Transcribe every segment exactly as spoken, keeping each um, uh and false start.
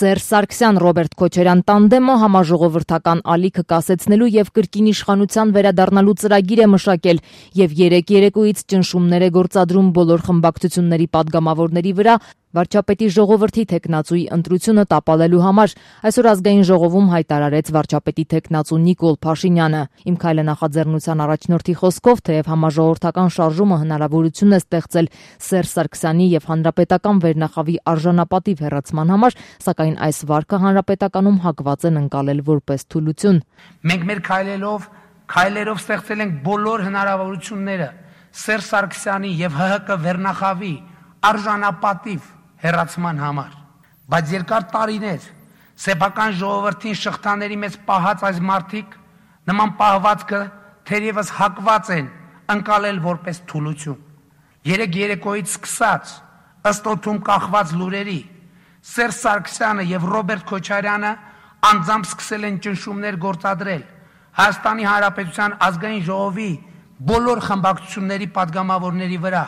Սերժ Սարգսյան-Ռոբերտ Քոչարյան տանդեմը համաժողովրդական ալիքը կասեցնելու եւ կրկին իշխանության վերադառնալու ծրագիր է մշակել եւ երեք երեկոյից ճնշումներ է գործադրում բոլոր խմբակցությունների падգամավորների վրա վարչապետի ժողովրդի թեկնածուի ընտրությունը տապալելու համար, այսօր ազգային ժողովում հայտարարեց վարչապետի թեկնածու Նիկոլ Փաշինյանը։ Իմ քայլը նախաձեռնության առաջնորդի խոսքով, թեև համաժողովրդական շարժումը հնարավորություն է ստեղծել Սերժ Սարգսյանի եւ հանրապետական վերնախավի արժանապատիվ հեռացման համար, սակայն այս վարկը հանրապետականում հակված են ընկալել որպես թուլություն։ Մենք մեր քայլելով, քայլերով ստեղծել ենք բոլոր հնարավորությունները Սերժ Սարգսյանի եւ ՀՀԿ վերնախավի արժանապատիվ հեռացման համար, բայց երկար տարիներ սեփական ժողովրդին շղթաների մեջ պահած այս մարդիկ նման պահվածքը թերևս հակված են ընկալել որպես թուլություն։ Երեք երեկոյից սկսած ըստ օդում կախված լուրերի Սերժ Սարգսյանը եւ Ռոբերտ Քոչարյանը անձամբ սկսել են ճնշումներ գործադրել Հայաստանի Հանրապետության ազգային ժողովի բոլոր խմբակցությունների падգամավորների վրա,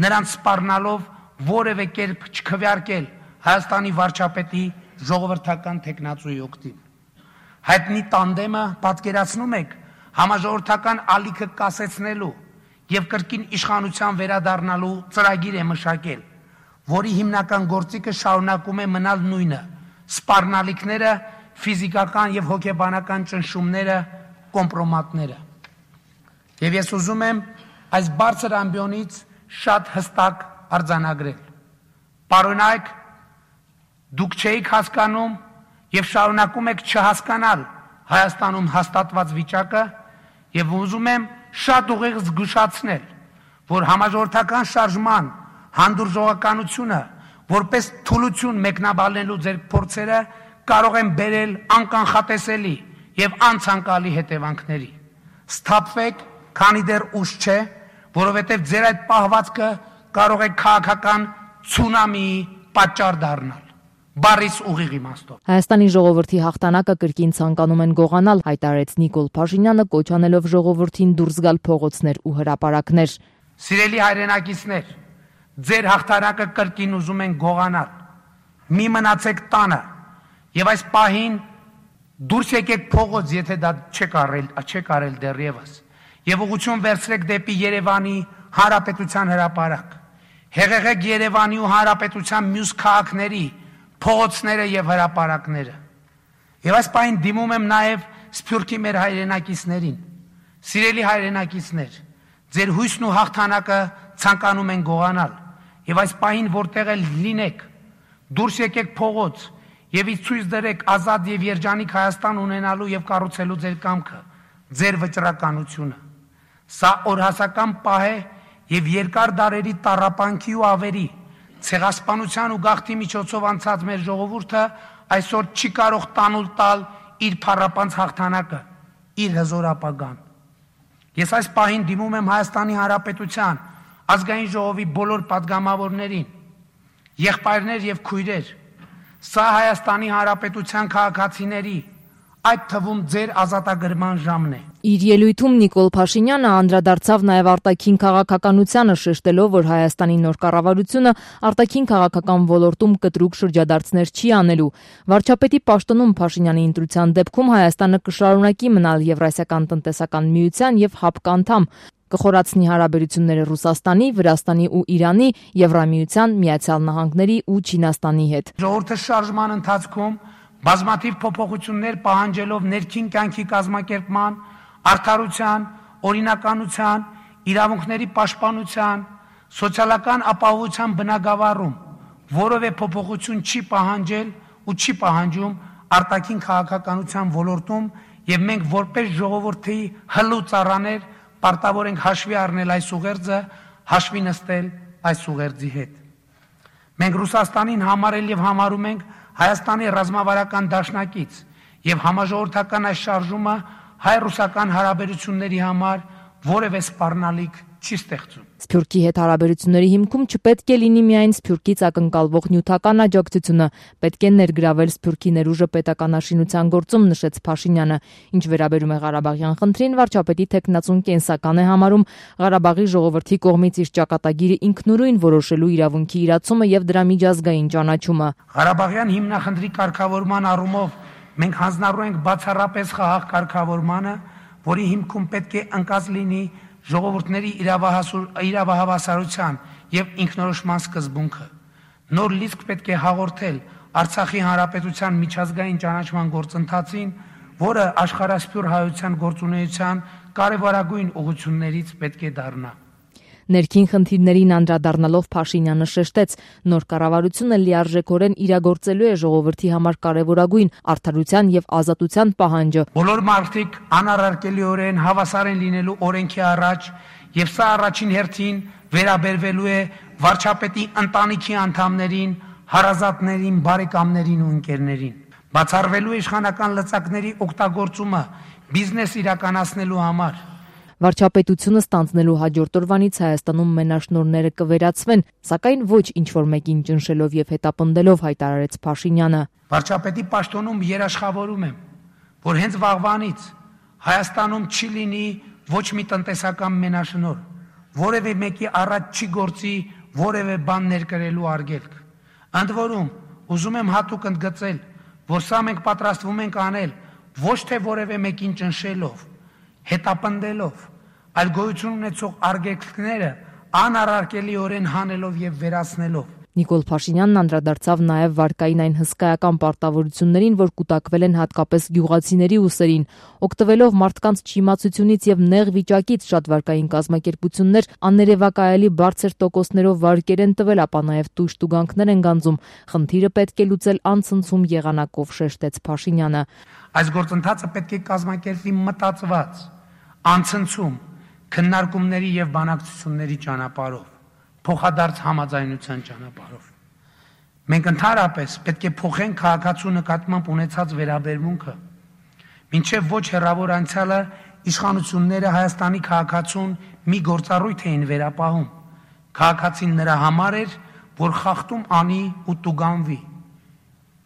նրանց սպառնալով որևէ կերպ չքվեարկել Հայաստանի վարչապետի ժողովրդական թեկնածուի օգտին։ Հայտնի տանդեմը պատկերացնում եք համաժողովրդական ալիքը կասեցնելու եւ կրկին իշխանության վերադառնալու ծրագիր է մշակել, որի հիմնական գործիքը շարունակում է մնալ նույնը՝ սպառնալիքները, ֆիզիկական եւ հոգեբանական ճնշումները, կոմպրոմատները։ Եվ ես ուզում եմ այս բարձր ամբիոնից շատ հստակ արձանագրել։ Պարոնայք, դուք չէիք հասկանում եւ շարունակում եք չհասկանալ Հայաստանում հաստատված վիճակը եւ ուզում եմ շատ ուղիղ զգուշացնել, որ համաժողովրդական շարժման հանդուրժողականությունը որպես թուլություն մեկնաբանելու ձեր փորձերը կարող են բերել անկանխատեսելի եւ անցանկալի հետևանքների։ Սթափվեք, քանի դեռ ուշ չէ, որովհետեւ ձեր այդ պահվածքը կարող է քաղաքական ցունամիի պատճառ դառնալ։ Բարիս ուղիղ իմաստով։ Հայաստանի ժողովրդի հաղթանակը կրկին ցանկանում են գողանալ, հայտարարեց Նիկոլ Փաշինյանը, կոչ անելով ժողովրդին դուրս գալ փողոցներ ու հրապարակներ։ Սիրելի հայրենակիցներ, ձեր հաղթանակը կրկին ուզում են գողանալ։ Մի մնացեք տանը եւ այս պահին դուրս եկեք փողոց, եթե դա չեք արել, չեք արել դեռևս, եւ ուղղություն վերցրեք դեպի Երևանի Հանրապետության հրապարակ։ Հեղեղեք Երևանի ու Հանրապետության մյուս քաղաքների փողոցները եւ հրապարակները։ Եվ այս պահին դիմում եմ նաեւ Սփյուռքի մեր հայրենակիցներին։ Սիրելի հայրենակիցներ, ձեր հույսն ու հաղթանակը ցանկանում են գողանալ։ Եվ այս պահին որտեղ էլ լինեք, դուրս եկեք փողոց եւ ցույց դրեք ազատ եւ երջանիկ Հայաստան ունենալու եւ կառուցելու ձեր կամքը, ձեր վճռականությունը։ Սա օրհասական պահ է եւ երկար դարերի տառապանքի ու ավերի, ցեղասպանության ու գաղթի միջոցով անցած մեր ժողովուրդը այսօր չի կարող տանուլ տալ իր փառապանց հաղթանակը, իր հզոր ապագան։ Ես այս պահին դիմում եմ Հայաստանի Հանրապետության ազգային ժողովի բոլոր падգամավորներին, եղբայրներ եւ քույրեր, սա Հայաստանի Հանրապետության քաղաքացիների, այդ թվում ձեր ազատագրման ժամն է։ Իր ելույթում Նիկոլ Փաշինյանը անդրադարձավ նաև արտաքին քաղաքականությանը, շեշտելով, որ Հայաստանի նոր կառավարությունը արտաքին քաղաքական ոլորտում կտրուկ շրջադարձներ չի անելու։ Վարչապետի պաշտոնում Փաշինյանի ընտրության դեպքում Հայաստանը կշարունակի մնալ Եվրասիական տնտեսական միության եւ ՀԱՊԿ անդամ, կխորացնի հարաբերությունները Ռուսաստանի, Վրաստանի ու Իրանի, Եվրամիության, Միացյալ Նահանգների ու Չինաստանի հետ։ Ժողովրդի շարժման ընթացքում բազմաթիվ փոփոխություններ պահանջելով ներքին կյանքի կազմակերպման, արդարության, օրինականության, իրավունքների պաշտպանության, սոցիալական ապահովության բնագավառում որևէ փոփոխություն չի պահանջել ու չի պահանջում արտաքին քաղաքականության ոլորտում, եւ մենք որպես ժողովրդի հլու ծառաներ պարտավոր ենք հաշվի առնել այս ուղերձը, հաշվի նստել այս ուղերձի հետ։ Մենք Ռուսաստանին համարել եւ համարում ենք Հայաստանի ռազմավարական դաշնակից եւ համաժողովրդական այս շարժումը հայ-ռուսական հարաբերությունների համար որևէ սպառնալիք չի ստեղծում։ Սփյուռքի հետ հարաբերությունների հիմքում չպետք է լինի միայն Սփյուռքից ակնկալվող նյութական աջակցությունը, պետք է ներգրավել Սփյուռքի ներուժը պետականաշինության գործում, նշեց Փաշինյանը։ Ինչ վերաբերում է Ղարաբաղյան խնդրին, վարչապետի թեկնածուն կենսական է համարում Ղարաբաղի ժողովրդի կողմից իր ճակատագիրը ինքնուրույն որոշելու իրավունքի իրացումը եւ դրա միջազգային ճանաչումը։ Ղարաբաղյան հիմնախնդրի կարգավորման առումով մենք հանձնառու ենք բացառապես խաղաղ կարգավորմանը, որի հիմքում պետք է ընկած լինի ժողովուրդների իրավահավասարության եւ ինքնորոշման սկզբունքը։ Նոր լիցք պետք է հաղորդել Արցախի հանրապետության միջազգային ճանաչման գործընթացին, որը աշխարհասփյուռ հայության գործունեության կարևորագույն ուղղություններից պետք է դառնա։ Ներքին խնդիրներին անդրադառնալով Փաշինյանը շեշտեց, նոր կառավարությունը լիարժեքորեն իրագործելու է ժողովրդի համար կարևորագույն արդարության եւ ազատության պահանջը։ Բոլոր մարդիկ անառարկելիորեն հավասար են լինելու օրենքի առաջ, եւ սա առաջին հերթին վերաբերվելու է վարչապետի ընտանիքի անդամներին, հարազատներին, բարեկամներին ու ընկերներին։ Բացառվելու է իշխանական լծակների օգտագործումը բիզնես իրականացնելու համար։ Վարչապետությունը ստանձնելու հաջորդ օրվանից Հայաստանում մենաշնորհները կվերացվեն, սակայն ոչ ինչ-որ մեկին ճնշելով եւ հետապնդելով, հայտարարեց Փաշինյանը։ Վարչապետի պաշտոնում երաշխավորում եմ, որ հենց վաղվանից Հայաստանում չի լինի ոչ մի տնտեսական մենաշնորհ, որևէ մեկի առաջ չի գործի որևէ բան ներկրելու արգելք։ Ընդ որում, ուզում եմ հատուկ ընդգծել, որ սա մենք պատրաստվում ենք անել ոչ թե որևէ մեկին ճնշելով, հետապնդելով, այլ գոյություն ունեցող արգելքները անառարկելիորեն հանելով եւ վերացնելով։ Նիկոլ Փաշինյանն անդրադարձավ նաև վարկային այն հսկայական պարտավորություններին, որ կուտակվել են հատկապես գյուղացիների ուսերին, օգտվելով մարդկանց չիմացությունից եւ նեղ վիճակից շատ վարկային կազմակերպություններ աներևակայելի բարձր տոկոսներով վարկեր են տվել, ապա նաև տույժ տուգանքներ են գանձում։ Խնդիրը պետք է լուծել անցնցում եղանակով, շեշտեց Փաշինյանը։ Այս գործընթացը պետք է կազմակերպվի մտածված, անցնցում, քննարկումների եւ բանակցությունների ճանապարհով, փոխադարձ համաձայնության ճանապարհով։ Մենք ընդհանրապես պետք է փոխենք քաղաքացու նկատմամբ ունեցած վերաբերմունքը։ Մինչև ոչ հեռավոր անցյալը իշխանությունները Հայաստանի քաղաքացուն մի գործառույթ էին վերապահում։ Քաղաքացին նրա համար էր, որ խախտում անի ու տուգանվի,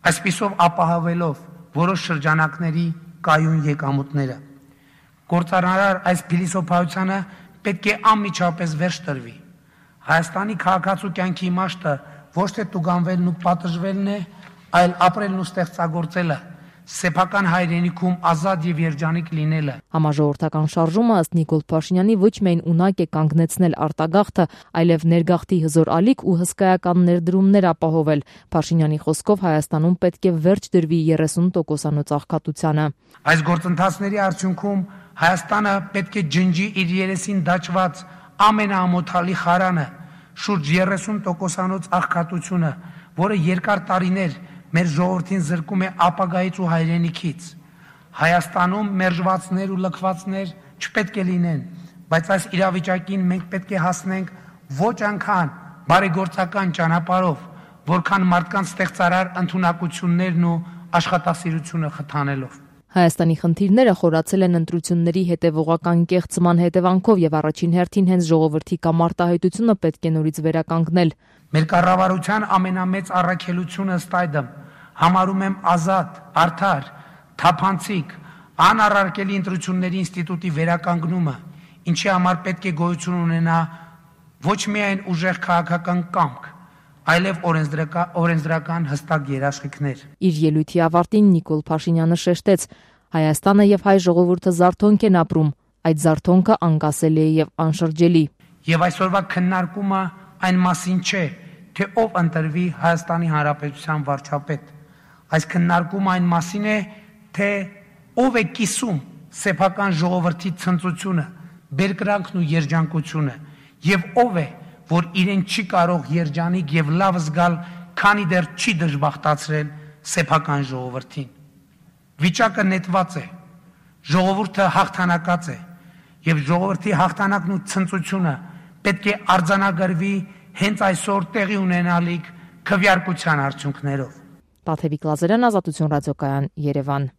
այսպիսով ապահովելով որոշ շրջանակների կայուն եկամուտները։ Գործարար այս փիլիսոփայությանը պետք է անմիջապես վերջ տրվի։ Հայաստանի քաղաքացու կյանքի իմաստը ոչ թե տուգանվելն ու պատժվելն է, այլ ապրելն ու ստեղծագործելը, սեփական հայրենիքում ազատ եւ երջանիկ լինելը։ Համաժողովրդական շարժումը ըստ Նիկոլ Փաշինյանի ոչ միայն ունակ է կանգնեցնել արտագաղթը, այլև ներգաղթի հզոր ալիք ու հսկայական ներդրումներ ապահովել։ Փաշինյանի խոսքով Հայաստանում պետք է վերջ դրվի երեսուն տոկոսանոց աղքատությանը։ Այս գործընթացների արդյունքում Հայաստանը պետք է ջնջի իր երեսին դաջված ամենաամոթալի խարանը, շուրջ երեսուն տոկոսանոց աղքատությունը, որը երկար տարիներ մեր ժողովրդին զրկում է ապագայից ու հայրենիքից։ Հայաստանում մերժվածներ ու լքվածներ չպետք է լինեն, բայց այս իրավիճակին մենք պետք է հասնենք ոչ անգամ բարեգործական ճանապարհով, որքան մարդկանց ստեղծարար ընդունակություններն ու աշխատասիրությունը խթանելով։ Հայաստանի խնդիրները խորացել են ընտրությունների հետևողական կեղծման հետևանքով եւ առաջին հերթին հենց ժողովրդի կամ արտահայտությունը պետք է նորից վերականգնել։ Մեր կառավարության ամենամեծ առաքելությունը ըստ այդմ համարում եմ ազատ, արդար, թափանցիկ, անառարկելի ընտրությունների ինստիտուտի վերականգնումը, ինչի համար պետք է գոյություն ունենա ոչ միայն ուժեղ քաղաքական կամք, այլև օրենսդրական հստակ երաշխիքներ։ Իր ելույթի ավարտին Նիկոլ Փաշինյանը շեշտեց. Հայաստանը եւ հայ ժողովուրդը զարթոնք են ապրում, այդ զարթոնքը անկասելի է եւ անշրջելի։ Եվ այսօրվա քննարկումը այն մասին չէ, թե ով ընտրվի Հայաստանի Հանրապետության վարչապետ։ Այս քննարկումը այն մասին է, թե ով է կիսում սեփական ժողովրդի ցնծությունը, բերկրանքն ու երջանկությունը, եւ ով է, որ իրեն չի կարող երջանիկ եւ լավ զգալ, քանի դեռ չի դժբախտացրել սեփական ժողովրդին։ Վիճակը նետված է, ժողովուրդը հաղթանակած է, եւ ժողովրդի հաղթանակն ու ցնծությունը պետք է արձանագրվի հենց այսօր տեղի ունենալիք քվեարկության արդյունքներով։ Տաթևիկ Լազարյան, Ազատություն ռադիոկայան, Երևան։